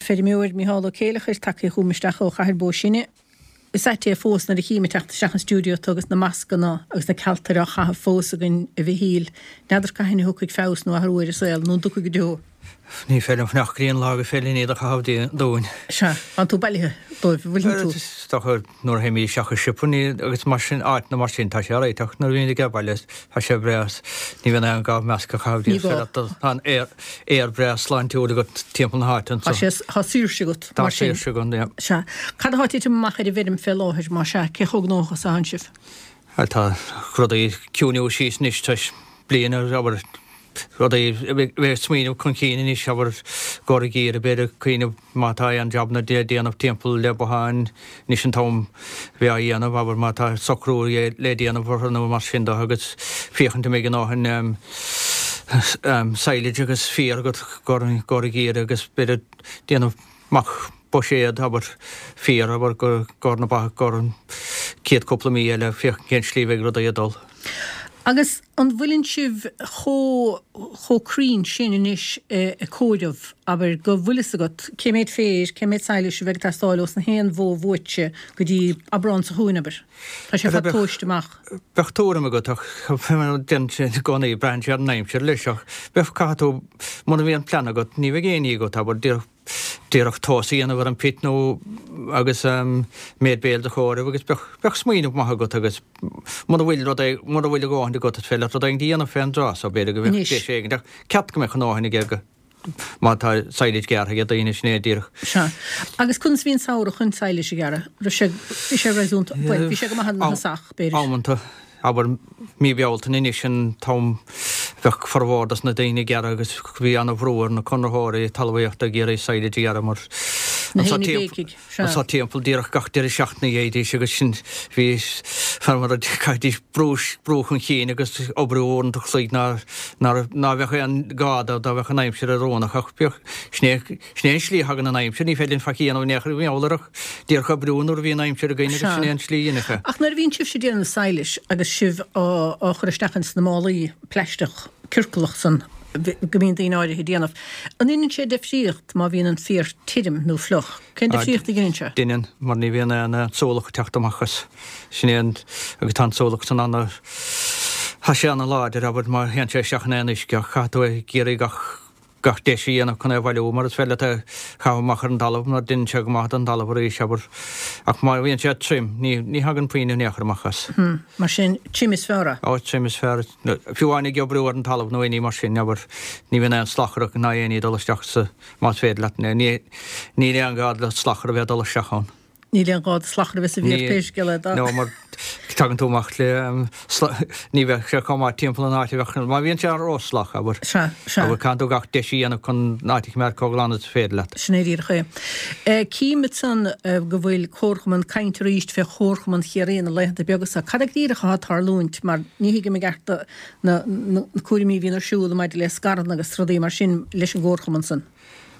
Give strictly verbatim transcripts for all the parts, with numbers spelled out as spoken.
feirmeoir Micheál Ó Céileachair tagtha chugam isteach ó Chathair Bó Sine. Is ait é fós nuair a chím ag teacht isteach an stiúideo tú agus na mascanna agus na cealtair á chaitheamh fós againn a Mhichíl. N'fheadar cathain a thiocfaidh feabhas nó athrú ar an saol nó an dtiocfaidh go deo. Ní féidir liom fanacht go dtí an lá gur féidir linn iad a chaitheamh dúinn. Sea, tá tú bailithe dóibh, an bhfuileann tú? Is dócha nuair a théimid isteach i siopa ní agus mar sin, áiteanna mar sin, tá sé réiteach nuair a bhíonn ag baile, tá sé breá, ní bhíonn aon gá masc a chaitheamh. Ní gá. Tá an aer, aer breá sláintiúil agat timpeall na háite Tá anso. sé, tá saoirse agat Tá mar sin. saoirse agam, yeah. Sea. Cad atá ag titim amach ar an bhfeirm fé láthair, más ea? Cé chomh gnóthach is atánn sibh? Bhuel, tá rudaí ag ciúnú síos anois tar éis bliain, abair, rudaí a bheith ag smaoineamh chun cinn anois, abair, gcomhair an gheimhridh, b'fhéidir ag cuimhneamh má tá aon jabanna le déanamh timpeall le botháin, anois an t-am bheith á dhéanamh, abair, má tá socrú le déanamh orthu nó mar sin de agus féachaint an mbeidh a ndóthain silage agus féar agat gcomhair an gheimhridh agus b'fhéidir déanamh amach buiséad, abair, féar, abair, gcomhair na ba, gcomhair an chéad cúpla mí eile, féachaint cén slí a bheidh rudaí ag dul. Agus an bhfuileann sibh chomh chomh cruinn sin anois ag comhaireamh, abair, go bhfuil fhios agat cé mhéad féir, cé mhéad sadhlais a bheidh ag teastáil ós na haon bhó bhuaite go dtí Aibreán seo chugainn, abair? Tá sé fad tomhaiste amach. Bheadh tuairim agat ach déanann sé i gcónaí, braitheann sé ar an aimsir leis ach bheadh, caithfidh tú, muna mbíonn plean agat, ní bheidh aon ní agat, abair, díreach díreach tomhas a dhéanamh ar an pit nó agus méid béil do chomhaireamh agus bheadh, bheadh smaoineamh maith agat agus muna bhfuil rud é, muna bhfuil a dhóthain agat is féidir leat rud éigin a dhéanamh fén dtráth so b'fhéidir go mbeadh Anois. deis éigin ach ceart go mbeadh a ndóthain aige go, má tá silage gearrtha ag daoine sin é díreach. Sea. Agus conas a bhí an samhradh chun sadhlais a ghearradh? Raibh sé, bhí sé réasúnta, bhuel, bhí sé go maith ina thosach, b'fhéidir. Amanta. Abair, mí Bealtaine anois an t-am bheadh formhór dos na daoine ag gearradh agus bhí ana-bhrú ar na conraitheoirí talmhaíochta ag iarraidh silage a ghearradh mar Na haon bhéicigh, sea. anso timpeall díreach gach deireadh seachtaine a gheibhidís agus sin bhí feirmeoirí chaithfidís brú brú chun cinn agus oibriú uaireanta chloig ná ná ná bheadh aon gá dó dá bheadh an aimsir oiriúnach ach bheadh sin é sin é an slí a thagann an aimsir ní féidir linn faic a dhéanamh in aon chor i ngeall air ach díreach oibriú nuair a bhíonn aimsir againn agus sin é an slí a dhéanamh é. Ach nuair a bhíonn sibhse ag déanamh sadhlais agus sibh á á chur isteach ins na málaí plaisteach ciorclach san go mbíonn daoine áirithe ag déanamh, an ndeineann sé difríocht má bhíonn an féar tirim nó fliuch? Cén difríocht a dheineann sé? Deineann, mar ní bhíonn aon súlach ag teacht amach as. Sin é an, agus tá an súlach san ana, tá sé ana láidir, abair, má théann sé isteach in aon uisce ach caithfidh tú ag iarraidh gach, gach deis a dhéanamh chun é a bhailiú mar is féidir leat é a chaitheamh amach ar an dtalamh mar deineann sé go maith don talamh arís, abair. Ach má bhíonn sé tirim, ní, ní thagann puinn in aon chor amach as. Hmm. Mar sin, tirim is fearr é? Ó, tirim is fearr. Fiú amháin ag oibriú ar an talamh nó aon ní mar sin, abair, ní bhíonn aon slachar ná aon ní ag dul isteach sa, más féidir leat, ní, níl aon ghá le slachar a bheith ag dul isteach ann. Níl aon ghá do slachar a bheith sa bhféar pé scéal é dá. No, mar tagann tú amach le ní bheadh sé chomh maith timpeall an áit a bheadh, má bhíonn sé róshlach, abair. Sea, sea. Abair, caithfidh tú gach deis a dhéanamh chun an áit a choimeád chomh glan is féidir leat. Sin é díreach é. Cím ansan go bhfuil comharchumann, caint arís fé Chomharchumann Chiarraí na laethanta beaga seo. Cad é go díreach atá ag tarlúint mar ní thuigim i gceart na cúraimí a bhíonn ar siúl maidir le scaireanna agus rudaí mar sin leis an gcomharchumann san.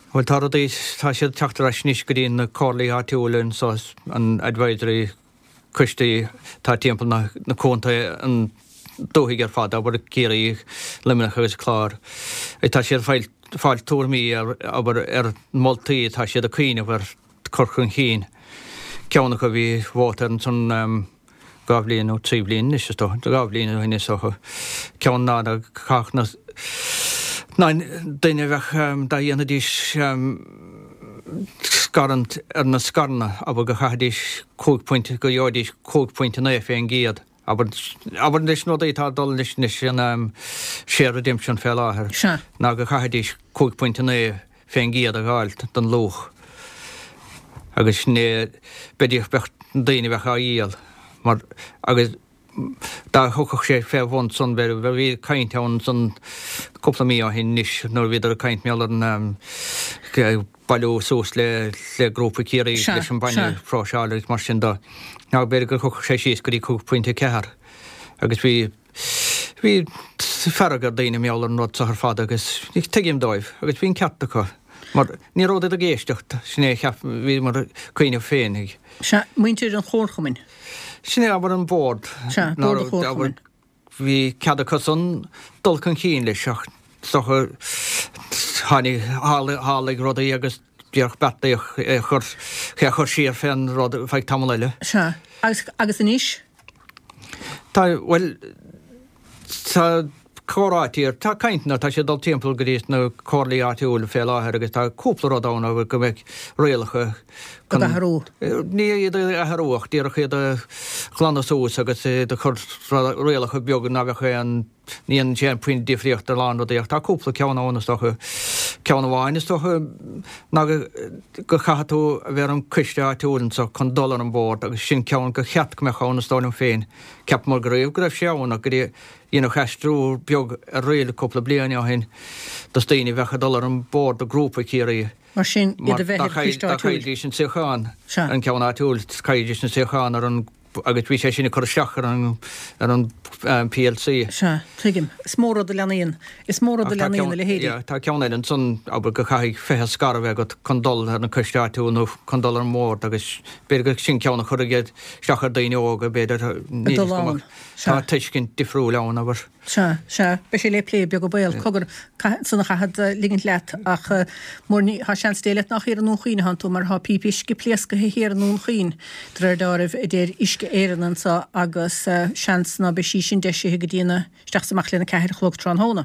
Bhuel, tá rudaí, tá siad ag teacht ar ais anois go dtí na comhairlí áitiúla anso, an advisory coistí atá timpeall na, na contae, an dúthaigh ar fad, abair Ciarraí, Luimneach agus Clár. Tá siad ag fáil, fáil tuairimí ar, abair, ar moltaí atá siad ag cuimhneamh ar cur chun cinn. Ceann acu bhí vóta air ansan, dhá bhliain nó trí bhliain anois is dócha, dhá bhliain ó shin is dócha, ceann ná ná caithfeadh na ná duine a bheadh dá dhéanfaidís scarúint ar na scaireanna, abair go chaithfidís cúig phointe, go gheobhaidís cúig phointe naoi fén gcéad, abair, abair leis na rudaí atá ag dul leis anois an share redemption fé láthair, ná go chaithfidís cúig phointe naoi fén gcéad a dh'fháil don luach agus sin é b'fhéidir bheadh daoine a bheadh á dhíol mar agus dá thiocfadh sé fé bhun san b'fhéidir bhí caint ann san cúpla mí ó shin anois nuair a bhíodar ag caint mar gheall ar an bailiú suas le le grúpa Ciarraí leis an bainne a phróiseáil agus mar sin de ná b'fhéidir gur thiocfadh sé síos go dtí cúig phointe ceathair agus bhí Bhí fearg ar daoine mar gheall ar an rud seo ar fad agus tuigim dóibh agus bhí an ceart acu mar ní rabhadar ag éisteacht, sin é a cheap, bhíomar ag cuimhneamh féin. Sea, muintir an chomharchumainn. Sin é, abair an bord. Sea, bord an chomharchumainn. Bhí cead acu san dul chun cinn leis ach is dócha tháinig, tharlaigh rudaí agus díreach beartaíodh é a chur, é a chur siar fén rud feadh tamall eile. Sea. Agus, agus anois? Tá, bhuel, tá comhráití ar, tá cainteanna, tá siad ag dul timpeall go dtí na comhairlí áitiúil fé láthair agus tá cúpla rud ann go mbeidh rialacha chun. Iad a athrú. Ní iad a athrú ach díreach iad a ghlanadh suas agus iad a chur, rialacha beaga ná beadh aon, ní dhéanann sé aon puinn difríocht ar a lán rudaí ach tá cúpla ceann ann is dócha. Ceann amháin is dócha ná go go chaithfidh tú a bheith ar an coiste áitiúil anso chun dul ar an bord agus sin ceann gur cheart go mbeadh ann is dóigh liom féin. Cheapamar go raibh go raibh sé ann ach go dtí Deineadh aistriú beag ar riail cúpla bliain ó shin dos daoine a bheadh ag dul ar an bord do Ghrúpa Chiarraí. Mar sin, iad a bheith ar choiste áitiúil. Dá chaillidís an suíochán ar an gceann áitiúil, chaillidís an suíochán ar an agus bhí sé sin ag cur isteach ar an ar an PLC. Sea, tuigim. Is mór rud a leathnaíonn, is mór rud a leathnaíonn a leithéidí. Tá ceann eile ansan, abair, go chaithfidh fiche scar a bheith agat chun dul ar an coiste áitiúil nó chun dul ar an mbord agus b'fhéidir gur sin ceann a chuirfidh isteach ar daoine óga, b'fhéidir, níl a fhios agam. Tá tuiscint difriúil ann, abair. Sea, sea. Beidh sé le plé, beag an baol. Cogar, ansan a chaithfead ligint leat ach mur ní, tá seans Dé leat nach thiar i nDún Chaoin atánn tú mar tá píopa uisce pléascaithe thiar i nDún Chaoin, de réir deáraimh, a deir Uisce Éireann anso agus seans ná beidh sí sin deisithe go dtí na, isteach is amach lena ceathair a chlog tráthnóna.